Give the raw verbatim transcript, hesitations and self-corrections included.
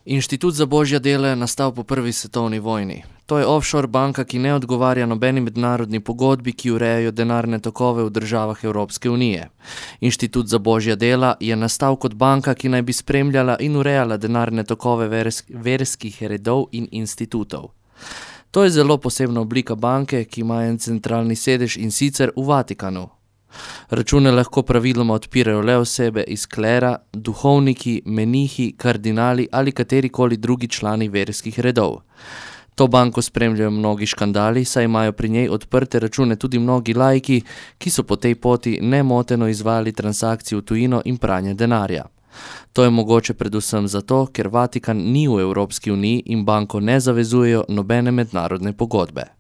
Inštitut za božja dela je nastal po prvi svetovni vojni. To je offshore banka, ki ne odgovarja nobeni mednarodni pogodbi, ki urejajo denarne tokove v državah Evropske unije. Inštitut za božja dela je nastal kot banka, ki naj bi spremljala in urejala denarne tokove vers verskih redov in institutov. To je zelo posebna oblika banke, ki ima en centralni sedež in sicer v Vatikanu. Račune lahko praviloma odpirajo le osebe iz klera, duhovniki, menihi, kardinali ali katerikoli drugi člani verskih redov. To banko spremljajo mnogi škandali, saj imajo pri njej odprte račune tudi mnogi laiki, ki so po tej poti nemoteno izvajali transakcije v tujino in pranje denarja. To je mogoče predvsem zato, ker Vatikan ni v Evropski uniji in banko ne zavezujejo nobene mednarodne pogodbe.